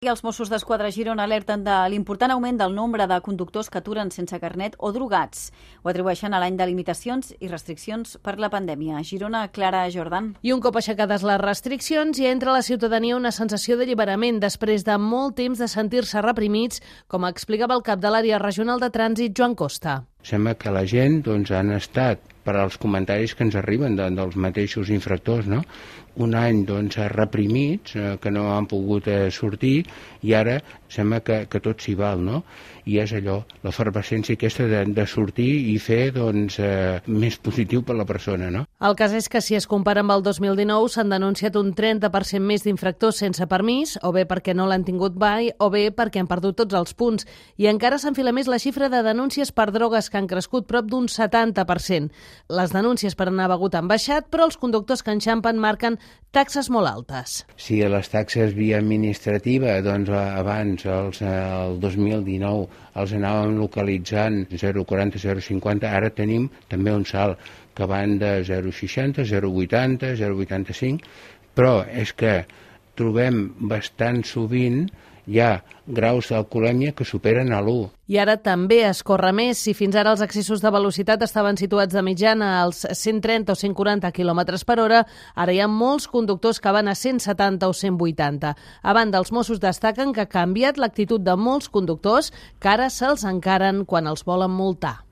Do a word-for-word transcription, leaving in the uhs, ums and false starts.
I els Mossos d'Esquadra a Girona alerten de l'important augment del nombre de conductors que aturen sense carnet o drogats. Ho atribueixen a l'any de limitacions i restriccions per la pandèmia. A Girona, Clara Jordan. I un cop aixecades les restriccions, hi entra a la ciutadania una sensació d'alliberament després de molt temps de sentir-se reprimits, com explicava el cap de l'àrea regional de trànsit, Joan Costa. Sembla que la gent doncs, han estat, per als comentaris que ens arriben de, dels mateixos infractors, no? un any doncs, reprimits, eh, que no han pogut eh, sortir, i ara sembla que, que tot s'hi val, no? I és allò, l'efervescència aquesta de, de sortir i fer doncs, eh, més positiu per la persona, no? El cas és que si es compara amb el dos mil dinou s'han denunciat un trenta per cent més d'infractors sense permís, o bé perquè no l'han tingut mai, o bé perquè han perdut tots els punts. I encara s'enfila més la xifra de denúncies per drogues, que han crescut prop d'un setanta per cent. Les denúncies per anar begut han baixat, però els conductors que enxampen marquen taxes molt altes. Si les taxes via administrativa, doncs abans, els, el dos mil dinou, els anàvem localitzant zero coma quaranta, zero coma cinquanta, ara tenim també un salt que van de zero coma seixanta, zero coma vuitanta, zero coma vuitanta-cinc, però és que trobem bastant sovint hi ha graus d'alcoholèmia que superen a l'u. I ara també es corre més. Si fins ara els excessos de velocitat estaven situats de mitjana als cent trenta o cent quaranta quilòmetres per hora, ara hi ha molts conductors que van a cent setanta o cent vuitanta. A banda, els Mossos destaquen que ha canviat l'actitud de molts conductors que ara se'ls encaren quan els volen multar.